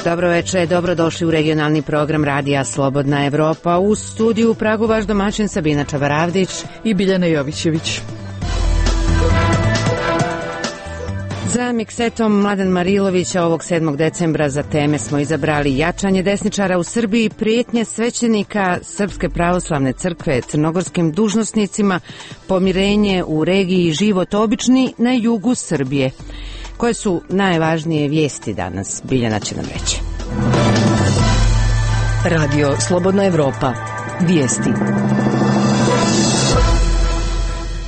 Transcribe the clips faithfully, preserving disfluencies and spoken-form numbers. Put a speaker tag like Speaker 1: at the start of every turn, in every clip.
Speaker 1: Dobro večer, dobrodošli u regionalni program Radija Slobodna Evropa. U studiju u Pragu vaš domaćin Sabina Čavaravdić
Speaker 2: i Biljana Jovićević.
Speaker 1: Za miksetom Mladen Marilović ovog sedmog decembra za teme smo izabrali jačanje desničara u Srbiji, prijetnje svećenika Srpske pravoslavne crkve crnogorskim dužnosnicima, pomirenje u regiji život obični na jugu Srbije. Koje su najvažnije vijesti danas? Biljana će nam reći.
Speaker 3: Radio Slobodna Evropa. Vijesti.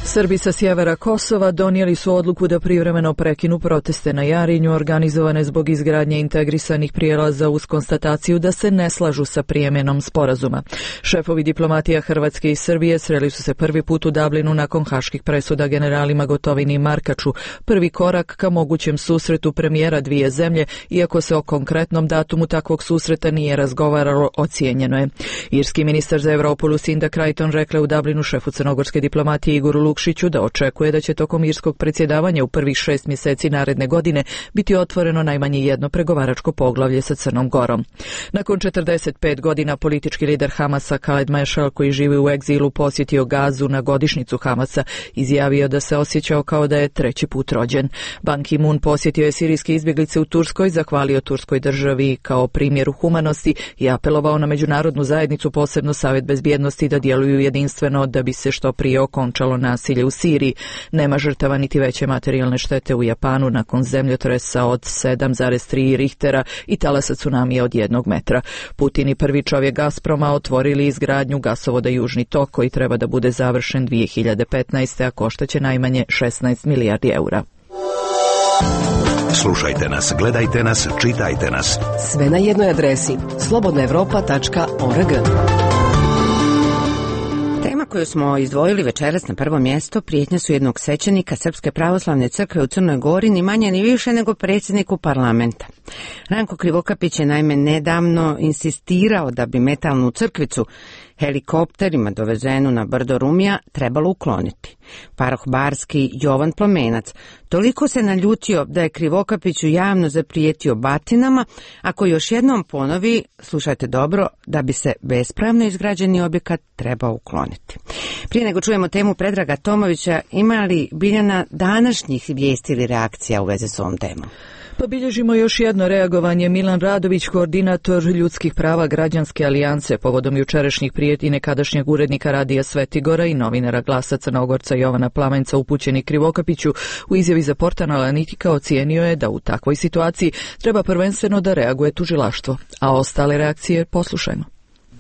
Speaker 2: Srbi sa sjevera Kosova donijeli su odluku da privremeno prekinu proteste na Jarinju organizovane zbog izgradnje integrisanih prijelaza uz konstataciju da se ne slažu sa prijemjenom sporazuma. Šefovi diplomatija Hrvatske i Srbije sreli su se prvi put u Dublinu nakon haških presuda generalima Gotovini i Markaču. Prvi korak ka mogućem susretu premijera dvije zemlje, iako se o konkretnom datumu takvog susreta nije razgovaralo, ocijenjeno je. Irski ministar za Evropu Lucinda Creighton rekla u Dublinu šefu crnogorske diplomatije Igoru Lukšiću da očekuje da će tokom irskog predsjedavanja u prvih šest mjeseci naredne godine biti otvoreno najmanje jedno pregovaračko poglavlje sa Crnom Gorom. Nakon četrdeset pet godina politički lider Hamasa Khaled Mashal, koji živi u egzilu, posjetio Gazu na godišnjicu Hamasa, izjavio da se osjećao kao da je treći put rođen. Ban Ki-moon posjetio je sirijske izbjeglice u Turskoj, zahvalio Turskoj državi kao primjeru humanosti i apelovao na međunarodnu zajednicu, posebno Savjet bezbjednosti, da djeluju jedinstveno da bi se što prije okončalo nasilje u Siriji. Nema žrtava niti veće materijalne štete u Japanu nakon zemljotresa od sedam zarez tri Richtera i talasa tsunamija od jednog metra. Putin i prvi čovjek Gazproma otvorili izgradnju gasovoda Južni tok, koji treba da bude završen dvije hiljade petnaeste. a koštaće najmanje šesnaest milijardi eura.
Speaker 4: Slušajte nas, gledajte nas, čitajte nas.
Speaker 3: Sve na jednoj adresi slobodna evropa tačka org.
Speaker 1: Tema koju smo izdvojili večeras na prvo mjesto prijetnje su jednog svećenika Srpske pravoslavne crkve u Crnoj Gori, ni manje ni više nego predsjedniku parlamenta. Ranko Krivokapić je naime nedavno insistirao da bi metalnu crkvicu helikopterima dovezenu na brdo Rumija trebalo ukloniti. Paroh barski Jovan Plomenac toliko se naljutio da je Krivokapiću javno zaprijetio batinama ako još jednom ponovi, slušajte dobro, da bi se bespravno izgrađeni objekat trebao ukloniti. Prije nego čujemo temu Predraga Tomovića, ima li Biljana današnjih vijesti ili reakcija u vezi s ovom temom?
Speaker 2: Pa bilježimo još jedno reagovanje. Milan Radović, koordinator ljudskih prava Građanske alijance, povodom jučerašnjih prijetnji nekadašnjeg urednika Radija Svetigora i novinara Glasa Crnogorca Jovana Plamenca upućeni Krivokapiću, u izjavi za portal Analitika ocijenio je da u takvoj situaciji treba prvenstveno da reaguje tužilaštvo, a ostale reakcije poslušajmo.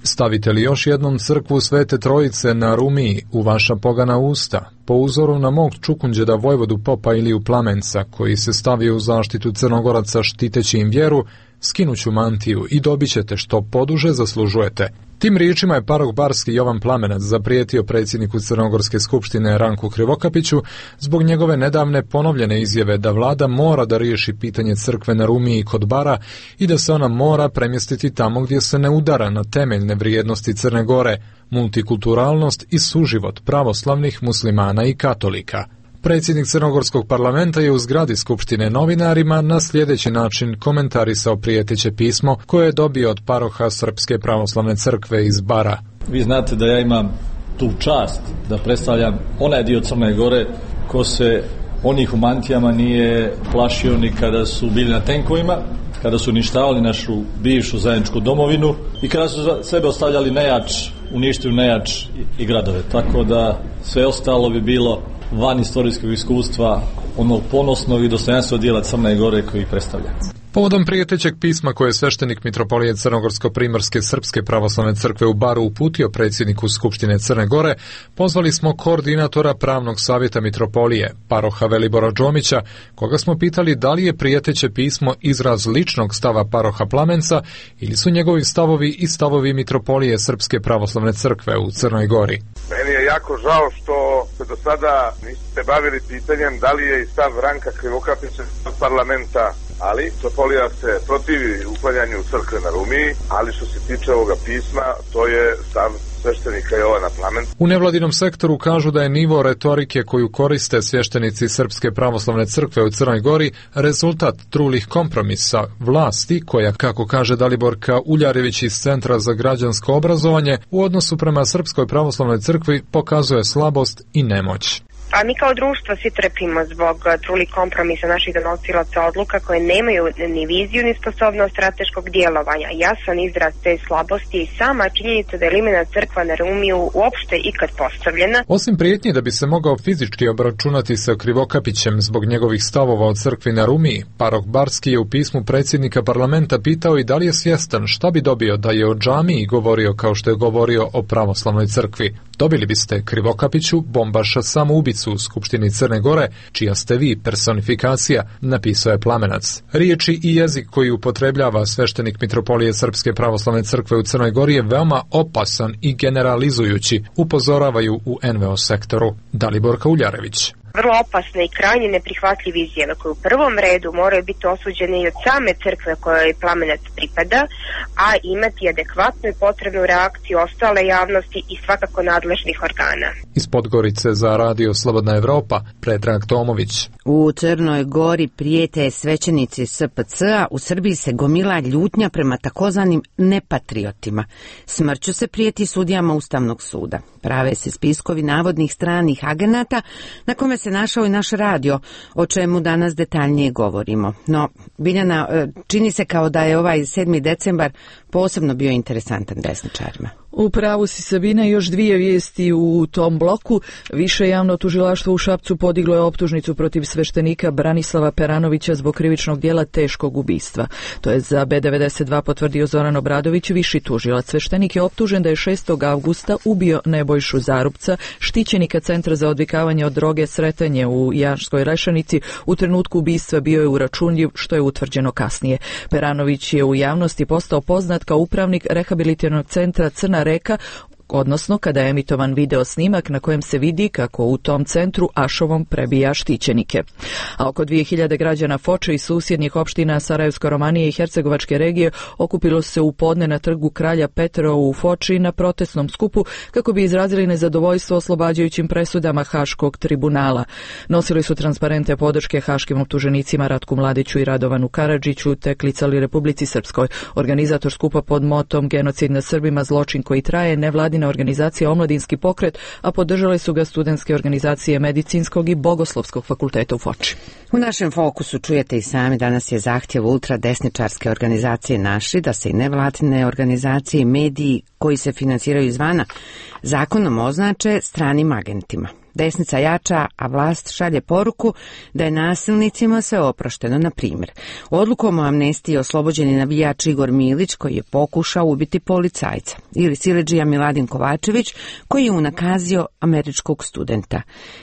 Speaker 5: Stavite li još jednom crkvu Svete Trojice na Rumiji u vaša pogana usta, po uzoru na mog Čukunđeda Vojvodu Popa Iliju Plamenca, koji se stavio u zaštitu Crnogoraca štiteći im vjeru, skinuću mantiju i dobit ćete što poduže zaslužujete. Tim riječima je paroh barski Jovan Plamenac zaprijetio predsjedniku Crnogorske skupštine Ranku Krivokapiću zbog njegove nedavne ponovljene izjave da vlada mora da riješi pitanje crkve na Rumiji kod Bara i da se ona mora premjestiti tamo gdje se ne udara na temeljne vrijednosti Crne Gore, multikulturalnost i suživot pravoslavnih muslimana i katolika. Predsjednik Crnogorskog parlamenta je u zgradi Skupštine novinarima na sljedeći način komentarisao prijeteće pismo koje je dobio od paroha Srpske pravoslavne crkve iz Bara.
Speaker 6: Vi znate da ja imam tu čast da predstavljam onaj dio Crne Gore ko se onih u mantijama nije plašio ni kada su bili na tenkovima, kada su uništavali našu bivšu zajedničku domovinu i kada su sebe ostavljali nejač, uništili nejač i gradove. Tako da sve ostalo bi bilo van istorijskog iskustva onog ponosnog i dostojanstvenog dijela Crne Gore koji predstavlja.
Speaker 5: Povodom prijetećeg pisma koje je sveštenik mitropolije Crnogorsko-Primorske Srpske pravoslavne crkve u Baru uputio predsjedniku Skupštine Crne Gore, pozvali smo koordinatora pravnog savjeta mitropolije, paroha Velibora Džomića, koga smo pitali da li je prijeteće pismo izraz ličnog stava paroha Plamenca ili su njegovi stavovi i stavovi mitropolije Srpske pravoslavne crkve u Crnoj Gori.
Speaker 7: Meni je jako žao što se do sada niste bavili pitanjem da li je i stav Ranka Krivokapića od parlamenta, ali mitropolija se protivi uklanjanju crkve na Rumiji, ali što se tiče ovoga pisma, to je stav sveštenika Jovana Plamenta.
Speaker 5: U nevladinom sektoru kažu da je nivo retorike koju koriste sveštenici Srpske pravoslavne crkve u Crnoj Gori rezultat trulih kompromisa vlasti koja, kako kaže Daliborka Uljarević iz Centra za građansko obrazovanje, u odnosu prema Srpskoj pravoslavnoj crkvi pokazuje slabost i nemoć.
Speaker 8: A mi kao društvo svi trpimo zbog trulih kompromisa naših donosilaca odluka koje nemaju ni viziju ni sposobnost strateškog djelovanja. Jasan izraz te slabosti i sama činjenica da je limena crkva na Rumiju uopšte ikad postavljena.
Speaker 5: Osim prijetnji da bi se mogao fizički obračunati sa Krivokapićem zbog njegovih stavova o crkvi na Rumiji, Parok Barski je u pismu predsjednika parlamenta pitao i da li je svjestan šta bi dobio da je o džamiji govorio kao što je govorio o pravoslavnoj crkvi. Dobili biste Krivokapiću, bombaša samoubicu u Skupštini Crne Gore, čija ste vi personifikacija, napisao je Plamenac. Riječi i jezik koji upotrebljava sveštenik Mitropolije Srpske pravoslavne crkve u Crnoj Gori je veoma opasan i generalizujući, upozoravaju u en ve o sektoru. Daliborka Uljarević.
Speaker 8: Vrlo opasne i krajnje neprihvatljive izjave koje u prvom redu moraju biti osuđene i od same crkve kojoj Plamenac pripada, a imati adekvatnu i potrebnu reakciju ostale javnosti i svakako nadležnih organa.
Speaker 5: Iz Podgorice za Radio Slobodna Evropa, Predrag Tomović.
Speaker 1: U Crnoj Gori prijete svećenici es pe ce a, u Srbiji se gomila ljutnja prema takozvanim nepatriotima. Smrću se prijeti sudijama Ustavnog suda. Prave se spiskovi navodnih stranih agenata na kome se našao i naš radio, o čemu danas detaljnije govorimo. No, Biljana, čini se kao da je ovaj sedmi decembar posebno bio interesantan desničarima.
Speaker 2: U pravu si, Sabina, još dvije vijesti u tom bloku. Više javno tužilaštvo u Šapcu podiglo je optužnicu protiv sveštenika Branislava Peranovića zbog krivičnog djela teškog ubistva. To je za be devedeset dva potvrdio Zoran Obradović, viši tužilac. Sveštenik je optužen da je šestog avgusta ubio Nebojšu Zarupca, štićenika Centra za odvikavanje od droge Sretanje u Janskoj Rešanici. U trenutku ubistva bio je uračunljiv, što je utvrđeno kasnije. Peranović je u javnosti postao poznat kao upravnik rehabilitativnog centra Crna Reka, odnosno kada je emitovan video snimak na kojem se vidi kako u tom centru ašovom prebija štićenike. A oko dvije hiljade građana Foče i susjednih opština Sarajevsko-Romanije i Hercegovačke regije okupilo se u podne na trgu Kralja Petra u Foči na protestnom skupu kako bi izrazili nezadovoljstvo oslobađajućim presudama Haškog tribunala. Nosili su transparente podrške haškim optuženicima Ratku Mladiću i Radovanu Karadžiću te klicali Republici Srpskoj. Organizator skupa pod motom Genocid nad Srbima, zločin koji traje, nevladina organizacija Omladinski pokret, a podržale su ga studentske organizacije Medicinskog i Bogoslovskog fakulteta u Foči.
Speaker 1: U našem fokusu čujete i sami, danas je zahtjev ultradesničarske organizacije Naši da se i nevladine organizacije i mediji koji se finansiraju izvana zakonom označe stranim agentima. Desnica jača, a vlast šalje poruku da je nasilnicima sve oprošteno. Na primjer, odlukom o amnestiji oslobođen je navijač Igor Milić koji je pokušao ubiti policajca, ili siledžija Miladin Kovačević koji je unakazio američkog studenta.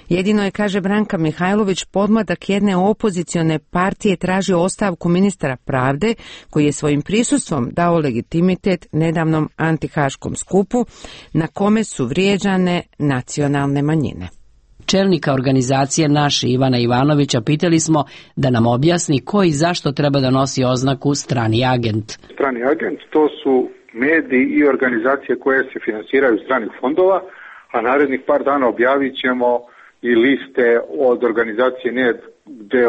Speaker 1: Jedino je, kaže Branka Mihajlović, podmladak jedne opozicione partije tražio ostavku ministra pravde koji je svojim prisustvom dao legitimitet nedavnom antihaškom skupu na kome su vrijeđane nacionalne manjine.
Speaker 9: Čelnika organizacije Naši Ivana Ivanovića pitali smo da nam objasni ko i zašto treba da nosi oznaku strani agent.
Speaker 10: Strani agent to su mediji i organizacije koje se finansiraju stranih fondova, a narednih par dana objavit ćemo i liste od organizacije N E D gdje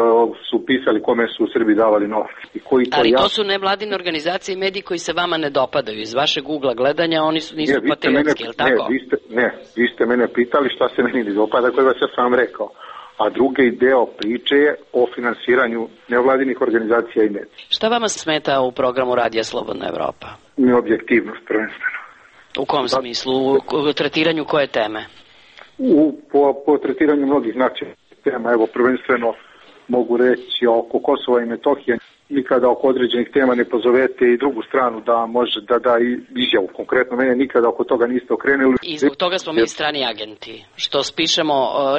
Speaker 10: su pisali kome su u Srbiji davali novac. I koji to
Speaker 9: Ali
Speaker 10: ja...
Speaker 9: to su nevladine organizacije i mediji koji se vama ne dopadaju. Iz vašeg ugla gledanja oni su, nisu ne, patriotski, je li tako?
Speaker 10: Ne vi, ste, ne, vi ste mene pitali šta se meni ne dopada, koje vas ja sam rekao. A drugi deo priče je o finansiranju nevladinih organizacija i medija.
Speaker 9: Šta vama smeta u programu Radija Slobodna Evropa?
Speaker 10: Neobjektivnost prvenstveno.
Speaker 9: U kom da, smislu? U tretiranju koje teme?
Speaker 10: U, po, po tretiranju mnogih značajnih tema, evo prvenstveno mogu reći oko Kosova i Metohije, nikada oko određenih tema ne pozovete i drugu stranu da može da da izjavu. Konkretno mene nikada oko toga niste okrenuli.
Speaker 9: I zbog toga smo mi strani agenti, što spišemo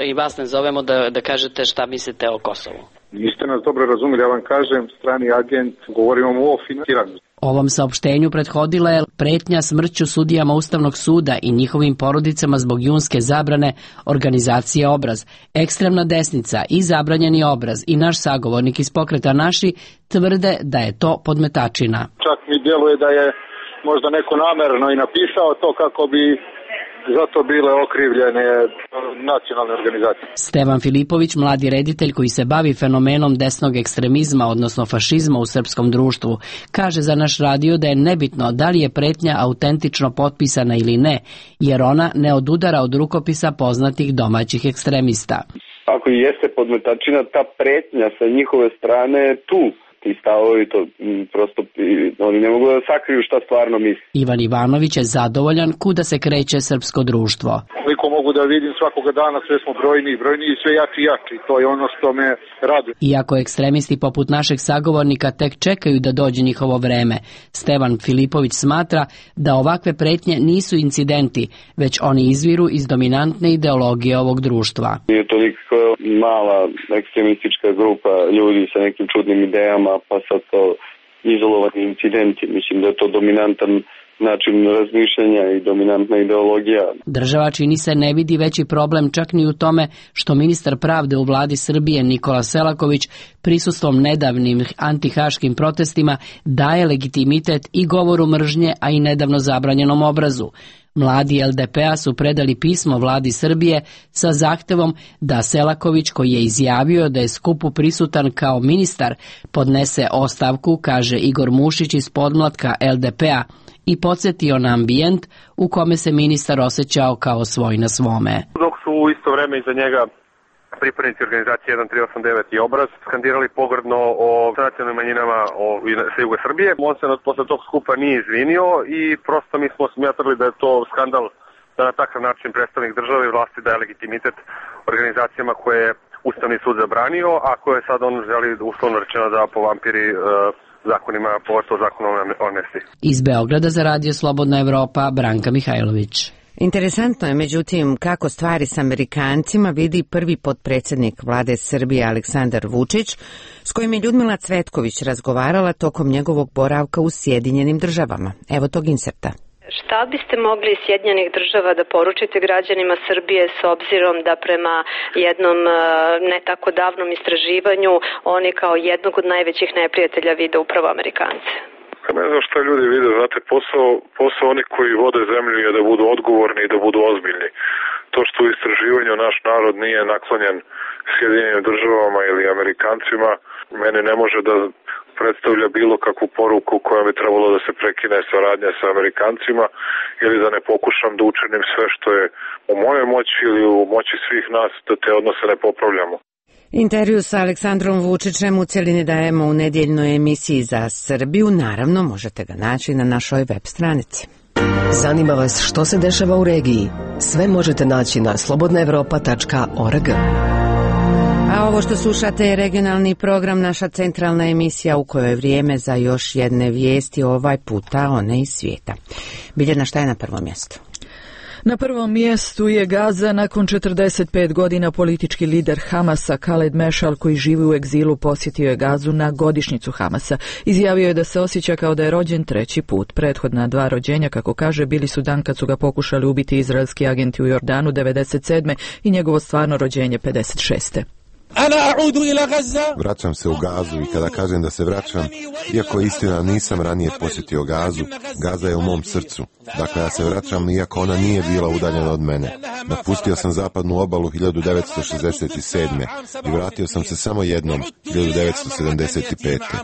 Speaker 9: i vas ne zovemo da, da kažete šta mislite o Kosovu.
Speaker 10: Niste nas dobro razumjeli, ja vam kažem, strani agent, govorimo o finansiranju.
Speaker 9: Ovom saopštenju prethodila je pretnja smrću sudijama Ustavnog suda i njihovim porodicama zbog junske zabrane organizacije Obraz. Ekstremna desnica i zabranjeni Obraz i naš sagovornik iz pokreta Naši tvrde da je to podmetačina.
Speaker 10: Čak mi djeluje da je možda neko namerno i napisao to kako bi za to bile okrivljene nacionalne organizacije.
Speaker 9: Stevan Filipović, mladi reditelj koji se bavi fenomenom desnog ekstremizma, odnosno fašizma u srpskom društvu, kaže za naš radio da je nebitno da li je pretnja autentično potpisana ili ne, jer ona ne odudara od rukopisa poznatih domaćih ekstremista.
Speaker 11: Ako i jeste podmetačina, ta pretnja sa njihove strane je tu. Ti stavovi, to prosto oni ne mogu da sakriju šta stvarno misli.
Speaker 9: Ivan Ivanović je zadovoljan kuda se kreće srpsko društvo.
Speaker 10: Koliko mogu da vidim svakoga dana, sve smo brojni i brojni i sve jači i jači. To je ono što me raduje.
Speaker 9: Iako ekstremisti poput našeg sagovornika tek čekaju da dođe njihovo vreme, Stevan Filipović smatra da ovakve pretnje nisu incidenti, već oni izviru iz dominantne ideologije ovog društva.
Speaker 11: Nije toliko mala ekstremistička grupa ljudi sa nekim čudnim idejama, pa sad to izolovani incidenti. Mislim da je to dominantan način razmišljanja i dominantna ideologija.
Speaker 9: Država, čini se, ne vidi veći problem čak ni u tome što ministar pravde u vladi Srbije Nikola Selaković prisustvom nedavnim antihaškim protestima daje legitimitet i govoru mržnje, a i nedavno zabranjenom obrazu. Mladi el de pe a su predali pismo vladi Srbije sa zahtevom da Selaković, koji je izjavio da je skupu prisutan kao ministar, podnese ostavku, kaže Igor Mušić iz podmlatka el de pe a, i podsjetio na ambijent u kome se ministar osjećao kao svoj na svome.
Speaker 12: Dok su u isto vreme iza njega pripadnici organizacije jedan tri osam devet i Obraz skandirali pogrdno o nacionalnim manjinama sa juga Srbije. On se posle tog skupa nije izvinio i prosto mi smo smatrali da je to skandal da na takav način predstavnik države i vlasti daje legitimitet organizacijama koje je Ustavni sud zabranio, a koje sad on želi uslovno rečeno da povampiri uh, zakonima, pogotovo zakonom o amnestiji.
Speaker 9: Iz Beograda za Radio Slobodna Evropa, Branka Mihajlović.
Speaker 1: Interesantno je, međutim, kako stvari s Amerikancima vidi prvi potpredsjednik vlade Srbije Aleksandar Vučić, s kojim je Ljudmila Cvetković razgovarala tokom njegovog boravka u Sjedinjenim državama. Evo tog inserta.
Speaker 13: Šta biste mogli iz Sjedinjenih država da poručite građanima Srbije s obzirom da prema jednom ne tako davnom istraživanju oni kao jednog od najvećih neprijatelja vide upravo Amerikance?
Speaker 14: Ne znam šta ljudi vide, znate, posao, posao oni koji vode zemlju je da budu odgovorni i da budu ozbiljni. To što u istraživanju naš narod nije naklonjen Sjedinjenim državama ili Amerikancima, mene ne može da predstavlja bilo kakvu poruku koja bi trebalo da se prekine saradnja sa Amerikancima ili da ne pokušam da učinim sve što je u mojoj moći ili u moći svih nas da te odnose ne popravljamo.
Speaker 1: Intervju sa Aleksandrom Vučićem u cjelini dajemo u nedjeljnoj emisiji za Srbiju. Naravno, možete ga naći na našoj web stranici.
Speaker 3: Zanima vas što se dešava u regiji? Sve možete naći na slobodna evropa tačka org.
Speaker 1: A ovo što slušate je regionalni program, naša centralna emisija u kojoj je vrijeme za još jedne vijesti, ovaj puta one iz svijeta. Biljana, šta je na prvom mjestu?
Speaker 2: Na prvom mjestu je Gaza. Nakon četrdeset pet godina politički lider Hamasa Khaled Mešal, koji živi u egzilu, posjetio je Gazu na godišnjicu Hamasa. Izjavio je da se osjeća kao da je rođen treći put. Prethodna dva rođenja, kako kaže, bili su dan kad su ga pokušali ubiti izraelski agenti u Jordanu devedeset sedme i njegovo stvarno rođenje pedeset šeste.
Speaker 15: Vraćam se u Gazu i kada kažem da se vraćam, iako istina nisam ranije posjetio Gazu, Gaza je u mom srcu. Dakle, ja se vraćam iako ona nije bila udaljena od mene. Napustio sam zapadnu obalu hiljadu devetsto šezdeset sedme i vratio sam se samo jednom, hiljadu devetsto sedamdeset pete.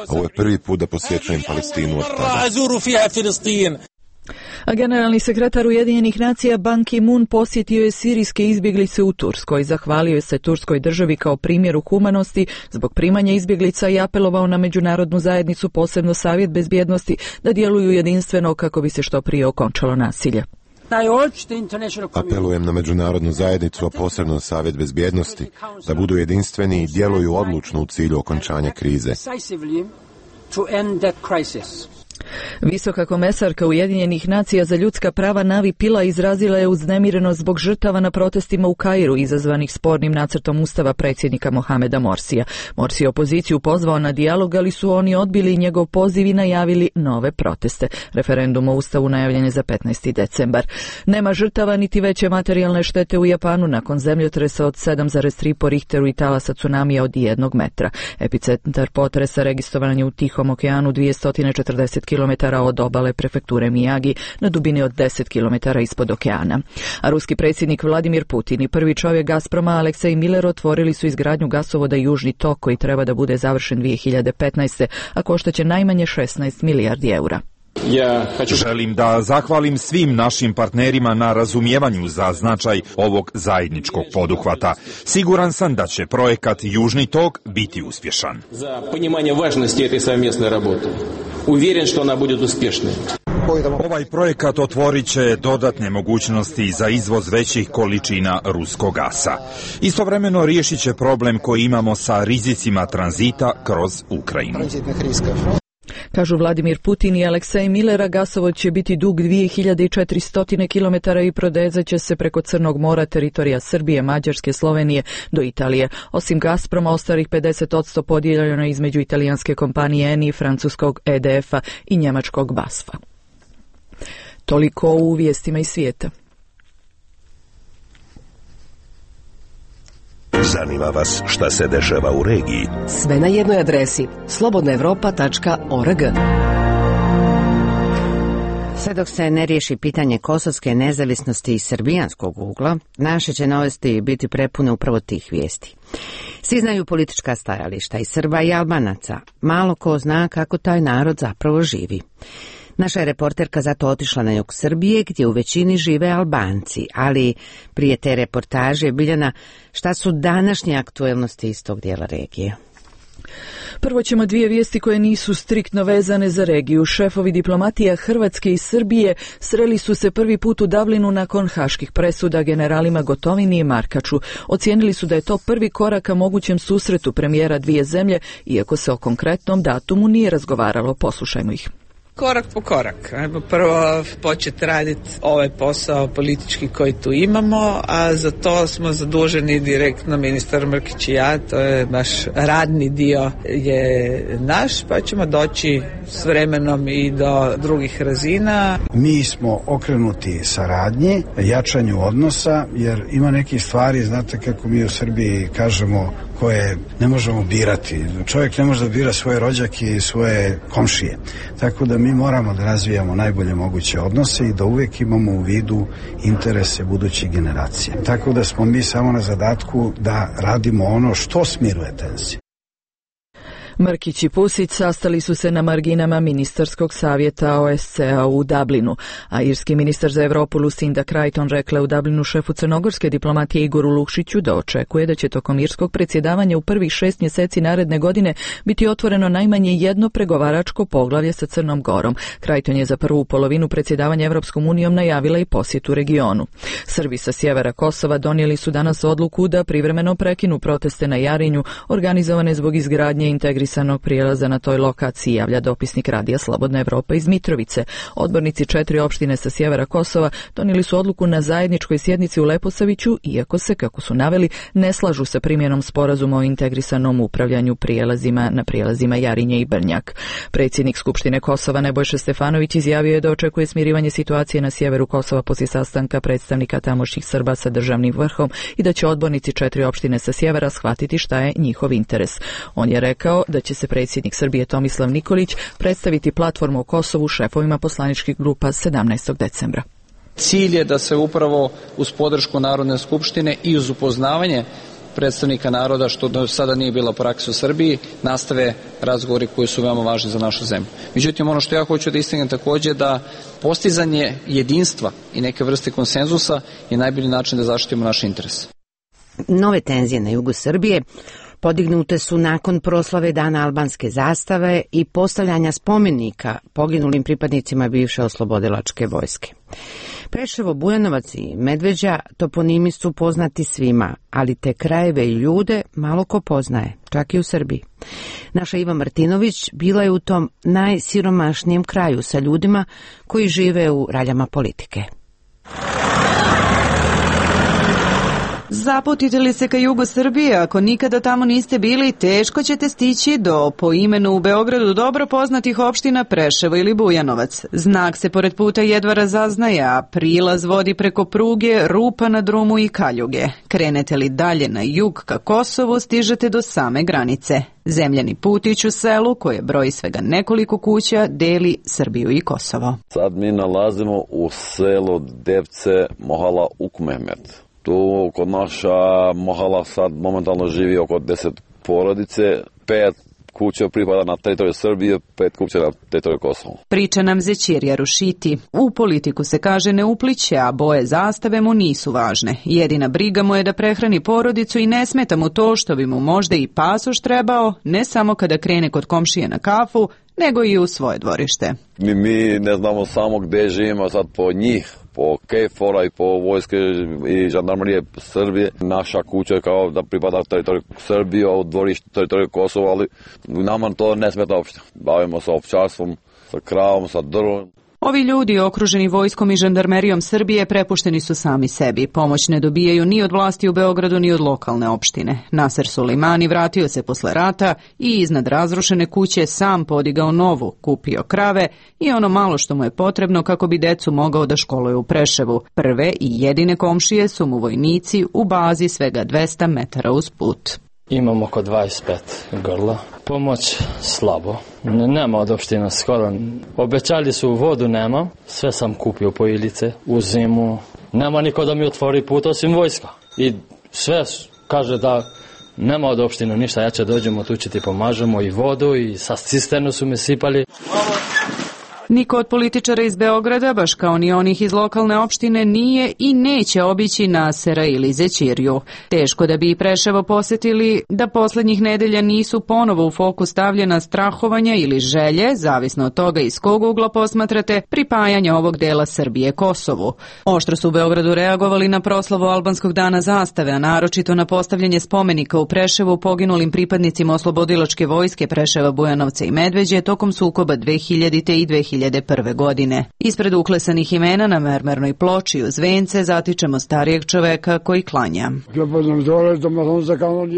Speaker 15: Ovo je prvi put da posjećujem Palestinu od tada.
Speaker 2: A generalni sekretar Ujedinjenih nacija Ban Ki-moon posjetio je sirijske izbjeglice u Turskoj. Zahvalio je se Turskoj državi kao primjeru humanosti zbog primanja izbjeglica i apelovao na međunarodnu zajednicu, posebno Savjet bezbjednosti, da djeluju jedinstveno kako bi se što prije okončalo nasilje.
Speaker 15: Apelujem na međunarodnu zajednicu, a posebno Savjet bezbjednosti, da budu jedinstveni i djeluju odlučno u cilju okončanja krize.
Speaker 2: Visoka komesarka Ujedinjenih nacija za ljudska prava Navi Pillay izrazila je uznemirenost zbog žrtava na protestima u Kairu izazvanih spornim nacrtom ustava predsjednika Mohameda Morsija. Morsi je opoziciju pozvao na dijalog, ali su oni odbili njegov poziv i najavili nove proteste. Referendum o ustavu najavljen je za petnaesti decembar. Nema žrtava niti veće materijalne štete u Japanu nakon zemljotresa od sedam zarez tri po Richteru i talasa tsunamija od jednog metra. Epicentar potresa registrovan je u Tihom okeanu dvjesto četrdeset kilometara od obale prefekture Miyagi na dubini od deset kilometara ispod okeana. A ruski predsjednik Vladimir Putin i prvi čovjek Gazproma Aleksej Miller otvorili su izgradnju gasovoda Južni tok koji treba da bude završen dvije hiljade petnaeste. a koštaće najmanje šesnaest milijardi eura.
Speaker 16: Ja želim da zahvalim svim našim partnerima na razumijevanju za značaj ovog zajedničkog poduhvata. Siguran sam da će projekat Južni tok biti uspješan.
Speaker 17: Za poнимanje važnosti ove совместной работы. Uvjeren što ona bude uspješna.
Speaker 16: Ovaj projekat otvorit će dodatne mogućnosti za izvoz većih količina ruskog gasa. Istovremeno riješit će problem koji imamo sa rizicima tranzita kroz Ukrajinu.
Speaker 2: Kažu Vladimir Putin i Aleksej Millera, gasovod će biti dug dvije hiljade četiristo kilometara i prodezat će se preko Crnog mora, teritorija Srbije, Mađarske, Slovenije do Italije. Osim Gazproma, ostalih pedeset posto podijeljeno između italijanske kompanije Eni, francuskog E D F-a i njemačkog B A S F-a. Toliko u vijestima iz svijeta.
Speaker 4: Zanima vas šta se dešava u regiji?
Speaker 3: Sve na jednoj adresi slobodna evropa tačka org.
Speaker 1: Sve dok se ne riješi pitanje kosovske nezavisnosti iz srbijanskog ugla, naše će novosti biti prepune upravo tih vijesti. Svi znaju politička stajališta i Srba i Albanaca. Malo ko zna kako taj narod zapravo živi. Naša je reporterka zato otišla na jug Srbije, gdje u većini žive Albanci, ali prije te reportaže, Biljana, šta su današnje aktuelnosti iz tog dijela regije?
Speaker 2: Prvo ćemo dvije vijesti koje nisu striktno vezane za regiju. Šefovi diplomatija Hrvatske i Srbije sreli su se prvi put u Dublinu nakon haških presuda generalima Gotovini i Markaču. Ocijenili su da je to prvi korak ka mogućem susretu premijera dvije zemlje, iako se o konkretnom datumu nije razgovaralo. Poslušajmo ih.
Speaker 18: Korak po korak. Ajmo prvo početi raditi ovaj posao politički koji tu imamo, a za to smo zaduženi direktno ministar Mrkić i ja, to je naš radni dio je naš, pa ćemo doći s vremenom i do drugih razina.
Speaker 19: Mi smo okrenuti saradnji, jačanju odnosa, jer ima nekih stvari, znate kako mi u Srbiji kažemo, koje ne možemo birati. Čovjek ne može da bira svoje rođake i svoje komšije. Tako da mi moramo da razvijamo najbolje moguće odnose i da uvijek imamo u vidu interese budućih generacija. Tako da smo mi samo na zadatku da radimo ono što smiruje tenzije.
Speaker 2: Mrkić i Pusić sastali su se na marginama ministarskog savjeta O S C-a u Dublinu, a irski ministar za Evropu Lucinda Creighton rekla u Dublinu šefu crnogorske diplomatije Igoru Lukšiću da očekuje da će tokom irskog predsjedavanja u prvih šest mjeseci naredne godine biti otvoreno najmanje jedno pregovaračko poglavlje sa Crnom Gorom. Creighton je za prvu polovinu predsjedavanja Evropskom unijom najavila i posjetu regionu. Srbi sa sjevera Kosova donijeli su danas odluku da privremeno prekinu proteste na Jarinju, organizovane zbog izgradnje integrisanog prijelaza na toj lokaciji, javlja dopisnik Radija Slobodna Evropa iz Mitrovice. Odbornici četiri opštine sa sjevera Kosova donijeli su odluku na zajedničkoj sjednici u Leposaviću, iako se, kako su naveli, ne slažu sa primjenom sporazuma o integrisanom upravljanju prijelazima na prijelazima Jarinje i Brnjak. Predsjednik Skupštine Kosova Nebojša Stefanović izjavio je da očekuje smirivanje situacije na sjeveru Kosova poslije sastanka predstavnika tamošnjih Srba sa državnim vrhom i da će odbornici četiri opštine sa sjevera shvatiti šta je njihov interes. On je rekao da će se predsjednik Srbije Tomislav Nikolić predstaviti platformu o Kosovu šefovima poslaničkih grupa sedamnaestog decembra.
Speaker 20: Cilj je da se upravo uz podršku Narodne skupštine i uz upoznavanje predstavnika naroda, što do sada nije bila praksa u Srbiji, nastave razgovori koji su veoma važni za našu zemlju. Međutim, ono što ja hoću da istaknem također da postizanje jedinstva i neke vrste konsenzusa je najbolji način da zaštitimo naše interese.
Speaker 1: Nove tenzije na jugu Srbije podignute su nakon proslave Dana albanske zastave i postavljanja spomenika poginulim pripadnicima bivše oslobodilačke vojske. Preševo, Bujanovac i Medveđa toponimi su poznati svima, ali te krajeve i ljude malo ko poznaje, čak i u Srbiji. Naša Iva Martinović bila je u tom najsiromašnijem kraju sa ljudima koji žive u raljama politike.
Speaker 21: Zaputite li se ka jugu Srbije, ako nikada tamo niste bili, teško ćete stići do po imenu u Beogradu dobro poznatih opština Preševo ili Bujanovac. Znak se pored puta jedva razaznaje, a prilaz vodi preko pruge, rupa na drumu i kaljuge. Krenete li dalje na jug ka Kosovu, stižete do same granice. Zemljani putić u selu, koje broji svega nekoliko kuća, deli Srbiju i Kosovo.
Speaker 22: Sad mi nalazimo u selu Devce, Mohala Ukmehmet. Tu kod naša Mohala sad momentalno živi oko deset porodice, pet kuća pripada na teritoriju Srbije, pet kuća na teritoriju Kosova.
Speaker 21: Priča nam Zećirija Rušiti. U politiku se kaže ne upliće, a boje zastave mu nisu važne. Jedina briga mu je da prehrani porodicu i ne smeta mu to što bi mu možda i pasoš trebao, ne samo kada krene kod komšije na kafu, nego i u svoje dvorište.
Speaker 22: Mi, mi ne znamo samo gde živimo sad po njih, po KFOR-a i po vojske i žandarmerije Srbije. Naša kuća je kao da pripada teritoriju Srbije, a u dvorištu teritoriju Kosova, ali nama to ne smeta uopšte. Bavimo se ovčarstvom, sa kravom, sa drvom.
Speaker 21: Ovi ljudi, okruženi vojskom i žandarmerijom Srbije, prepušteni su sami sebi. Pomoć ne dobijaju ni od vlasti u Beogradu, ni od lokalne opštine. Naser Sulejmani vratio se posle rata i iznad razrušene kuće sam podigao novu, kupio krave i ono malo što mu je potrebno kako bi decu mogao da školuje u Preševu. Prve i jedine komšije su mu vojnici u bazi svega dvesta metara uz put.
Speaker 23: Imamo oko dvadeset pet grla. Pomoć slabo. Nema od opština skoro. Obećali su vodu, nema. Sve sam kupio po ilice u zimu. Nema niko da mi otvori put osim vojska. I sve kaže da nema od opština ništa. Ja će dođemo, tu će ti pomažemo i vodu i sa cisternu su me sipali.
Speaker 21: Niko od političara iz Beograda, baš kao ni onih iz lokalne opštine, nije i neće obići Nasera ili Zećiriju. Teško da bi i Preševo posetili da poslednjih nedelja nisu ponovo u fokus stavljena strahovanja ili želje, zavisno od toga iz kog ugla posmatrate, pripajanja ovog dela Srbije Kosovu. Oštro su u Beogradu reagovali na proslavu albanskog dana zastave, a naročito na postavljanje spomenika u Preševu poginulim pripadnicima oslobodilačke vojske Preševa, Bujanovca i Medveđe tokom sukoba dve hiljadite i dve hiljade prve. godine. Ispred uklesanih imena na mermernoj ploči uz vence zatičemo starijeg čoveka koji klanja.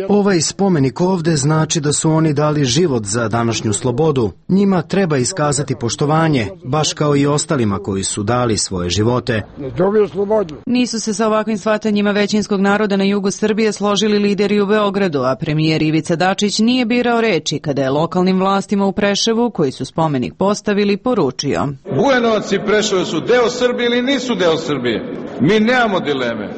Speaker 24: Ovaj spomenik ovde znači da su oni dali život za današnju slobodu. Njima treba iskazati poštovanje, baš kao i ostalima koji su dali svoje živote.
Speaker 21: Nisu se sa ovakvim shvatanjima većinskog naroda na jugu Srbije složili lideri u Beogradu, a premijer Ivica Dačić nije birao reči kada je lokalnim vlastima u Preševu, koji su spomenik postavili, poručio.
Speaker 25: Bujanovac i Preševo su deo Srbije ili nisu deo Srbije? Mi nemamo dileme,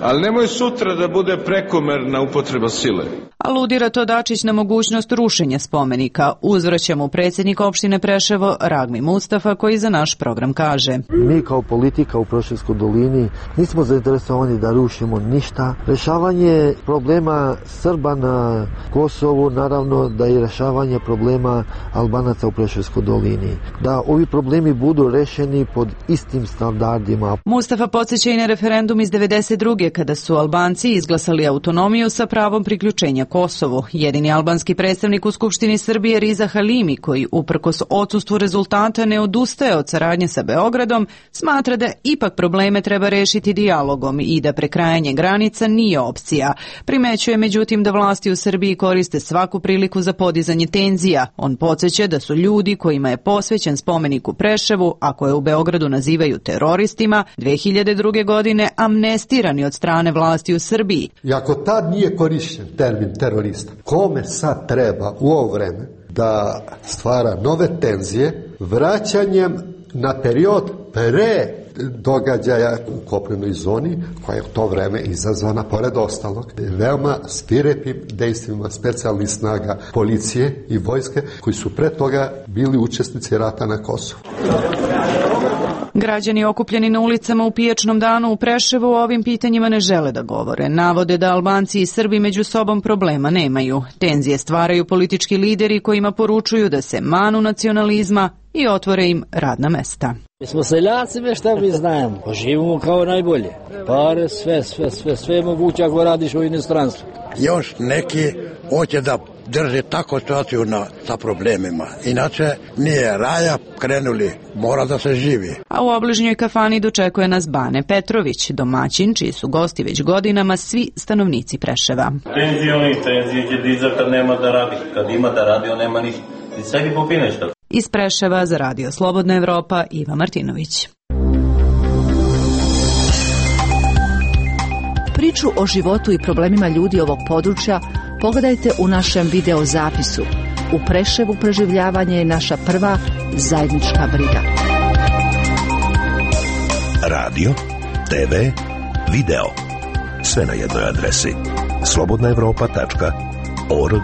Speaker 25: ali nemoj sutra da bude prekomerna upotreba sile.
Speaker 21: Aludira to Dačić na mogućnost rušenja spomenika. Uzvraća mu predsjednik opštine Preševo Ragmi Mustafa, koji za naš program kaže:
Speaker 26: Mi kao politika u Preševskoj dolini nismo zainteresovani da rušimo ništa. Rešavanje problema Srba na Kosovu, naravno da je rešavanje problema Albanaca u Preševskoj dolini. Da ovi problemi budu rešeni pod istim standardima.
Speaker 21: Mustafa podsjeća i na referendum iz devedeset druge kada su Albanci izglasali autonomiju sa pravom priključenja Kosovu. Jedini albanski predstavnik u Skupštini Srbije Riza Halimi, koji uprkos odsustvu rezultata ne odustaje od saradnje sa Beogradom, smatra da ipak probleme treba rešiti dijalogom i da prekrajanje granica nije opcija. Primećuje međutim da vlasti u Srbiji koriste svaku priliku za podizanje tenzija. On podsjeća da su ljudi kojima je posvećen spomenik u Preševu, a koje u Beogradu nazivaju teroristima, dve hiljade druge. godine amnestirani od strane vlasti u Srbiji.
Speaker 27: I ako tad nije korišćen termin terorista, kome sad treba u ovo vreme da stvara nove tenzije vraćanjem na period pre događaja u kopnenoj zoni, koja je u to vreme izazvana, pored ostalog, veoma svirepim dejstvima specijalnih snaga policije i vojske, koji su pre toga bili učesnici rata na Kosovu.
Speaker 21: Građani okupljeni na ulicama u pijačnom danu u Preševu o ovim pitanjima ne žele da govore. Navode da Albanci i Srbi među sobom problema nemaju. Tenzije stvaraju politički lideri kojima poručuju da se manu nacionalizma i otvore im radna mesta.
Speaker 28: Mi smo seljaci, ve šta mi znamo, živimo kao najbolje. Pare, sve, sve, sve, sve je moguće ako radiš u inostranstvu.
Speaker 29: Još neki hoće da
Speaker 5: drži tako situaciju na, sa problemima. Inače, nije raja, krenuli, mora da se živi.
Speaker 21: A u obližnjoj kafani dočekuje nas Bane Petrović, domaćin čiji su gosti već godinama svi stanovnici Preševa.
Speaker 6: Penzioni, penzije će dizati kad nema da radi. Kad ima da radi, on nema ništa. I sebi popine nešto.
Speaker 21: Iz Preševa za Radio Slobodna Evropa, Iva Martinović.
Speaker 7: Priču o životu i problemima ljudi ovog područja pogledajte u našem video zapisu. U Preševu preživljavanje je naša prva zajednička briga.
Speaker 4: Radio, te ve, video. Sve na jednoj adresi. slobodna evropa tačka org.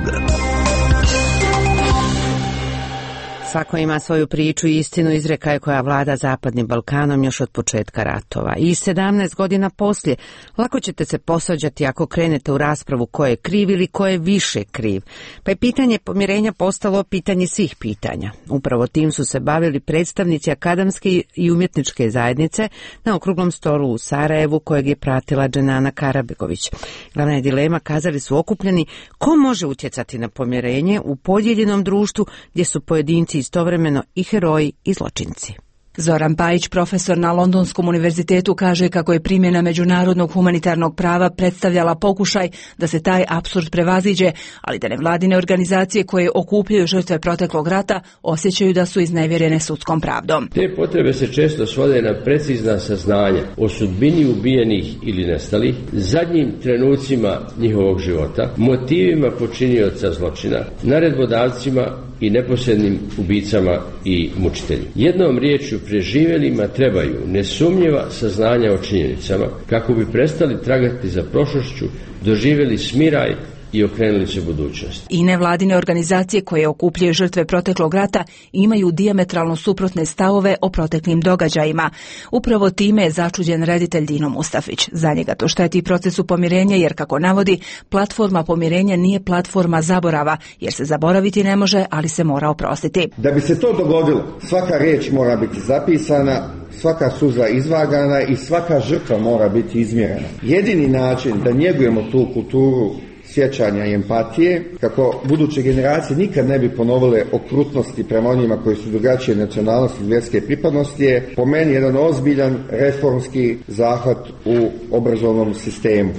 Speaker 1: Svako ima svoju priču i istinu, izreka je koja vlada Zapadnim Balkanom još od početka ratova. I sedamnaest godina poslije lako ćete se posvađati ako krenete u raspravu ko je kriv ili ko je više kriv. Pa je pitanje pomirenja postalo pitanje svih pitanja. Upravo tim su se bavili predstavnici akademske i umjetničke zajednice na okruglom stolu u Sarajevu kojeg je pratila Dženana Karabegović. Glavna je dilema, kazali su okupljeni, ko može utjecati na pomirenje u podijeljenom društvu gdje su pojedinci istovremeno i heroji i zločinci.
Speaker 8: Zoran Pajić, profesor na Londonskom univerzitetu, kaže kako je primjena međunarodnog humanitarnog prava predstavljala pokušaj da se taj apsurd prevaziđe, ali da nevladine organizacije koje okupljaju žrtve proteklog rata osjećaju da su iznevjerene sudskom pravdom.
Speaker 9: Te potrebe se često svode na precizna saznanja o sudbini ubijenih ili nestalih, zadnjim trenucima njihovog života, motivima počinioca zločina, naredbodavcima i neposrednim ubicama i mučiteljima. Jednom riječju, preživjelima trebaju nesumnjiva saznanja o činjenicama kako bi prestali tragati za prošlošću, doživjeli smiraj i okrenuli se budućnosti.
Speaker 8: I nevladine organizacije koje okupljaju žrtve proteklog rata imaju dijametralno suprotne stavove o proteklim događajima. Upravo time je začuđen reditelj Dino Mustafić. Za njega to šteti procesu pomirenja jer, kako navodi, platforma pomirenja nije platforma zaborava, jer se zaboraviti ne može, ali se mora oprostiti.
Speaker 10: Da bi se to dogodilo, svaka riječ mora biti zapisana, svaka suza izvagana i svaka žrtva mora biti izmjerena. Jedini način da njegujemo tu kulturu sjećanja i empatije, kako buduće generacije nikad ne bi ponovile okrutnosti prema onima koji su drugačije nacionalnosti i vjerske pripadnosti, je po meni jedan ozbiljan reformski zahvat u obrazovnom sistemu.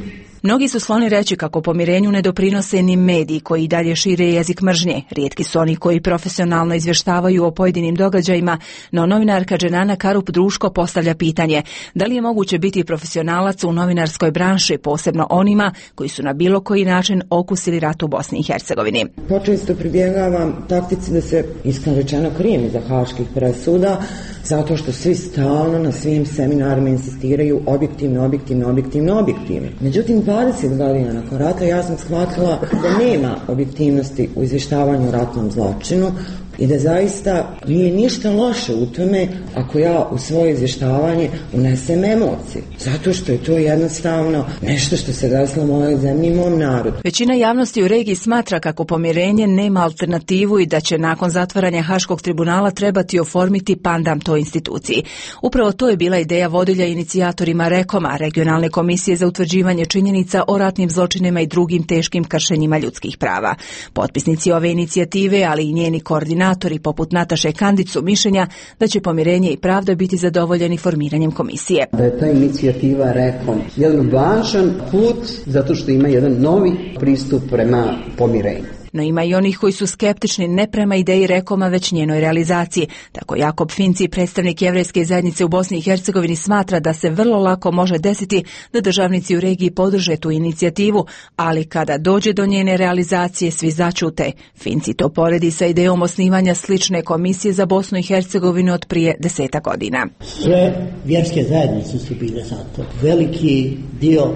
Speaker 8: Mnogi su skloni reći kako pomirenju ne doprinose ni mediji koji i dalje šire jezik mržnje. Rijetki su oni koji profesionalno izvještavaju o pojedinim događajima, no novinarka Dženana Karup Druško postavlja pitanje da li je moguće biti profesionalac u novinarskoj branši, posebno onima koji su na bilo koji način okusili rat u Bosni i Hercegovini.
Speaker 11: Počesto pribjegavam taktici da se iskreno rečeno krijem iza haških presuda, zato što svi stalno na svim seminarima insistiraju objektivno, objektivno, objektivno, objektivno. Međutim, dvadeset godina nakon rata ja sam shvatila da nema objektivnosti u izvještavanju o ratnom zločinu i da zaista nije ništa loše u tome ako ja u svoje izvještavanje unesem emocije. Zato što je to jednostavno nešto što se desilo mojoj zemlji i mom narodu.
Speaker 8: Većina javnosti u regiji smatra kako pomirenje nema alternativu i da će nakon zatvaranja Haškog tribunala trebati oformiti pandam toj instituciji. Upravo to je bila ideja vodilja inicijatorima Rekoma, regionalne komisije za utvrđivanje činjenica o ratnim zločinima i drugim teškim kršenjima ljudskih prava. Potpisnici ove inicijative, ali i njeni koordinatori poput Nataše Kandić su mišljenja da će pomirenje i pravda biti zadovoljeni formiranjem komisije.
Speaker 12: Da je ta inicijativa Rekom jedan važan put zato što ima jedan novi pristup prema pomirenju.
Speaker 8: No ima i onih koji su skeptični ne prema ideji Rekoma, već njenoj realizaciji. Tako Jakob Finci, predstavnik jevrejske zajednice u Bosni i Hercegovini, smatra da se vrlo lako može desiti da državnici u regiji podrže tu inicijativu, ali kada dođe do njene realizacije svi začute. Finci to poredi sa idejom osnivanja slične komisije za Bosnu i Hercegovinu od prije deseta godina.
Speaker 29: Sve vjerske zajednice su bile za to. Veliki dio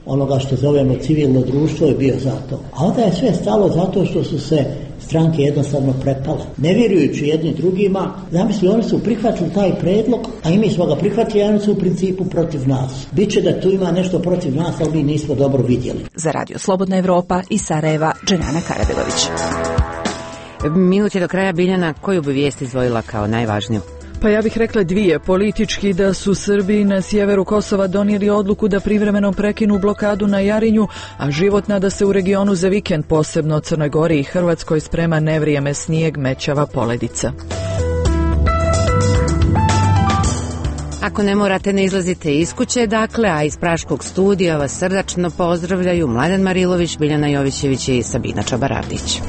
Speaker 29: onoga što zovemo civilno društvo je bio za to. A onda je sve stalo zato što su se stranke jednostavno prepale. Ne vjerujući jedni drugima, zamisli, oni su prihvatili taj predlog, a i mi smo ga prihvatili, a oni su u principu protiv nas. Biće da tu ima nešto protiv nas, ali mi nismo dobro vidjeli.
Speaker 8: Za Radio Slobodna Evropa iz Sarajeva, Dženana Karabegović.
Speaker 1: Minut je do kraja. Biljana, koju bi vijest izdvojila kao najvažniju?
Speaker 2: Pa ja bih rekla dvije. Politički da su Srbi na sjeveru Kosova donijeli odluku da privremeno prekinu blokadu na Jarinju, a životna da se u regionu za vikend, posebno Crnoj Gori i Hrvatskoj, sprema nevrijeme, snijeg, mećava, poledica.
Speaker 1: Ako ne morate, ne izlazite iz kuće, dakle, a iz Praškog studija vas srdačno pozdravljaju Mladen Marilović, Biljana Jovićević i Sabina Čabaradić.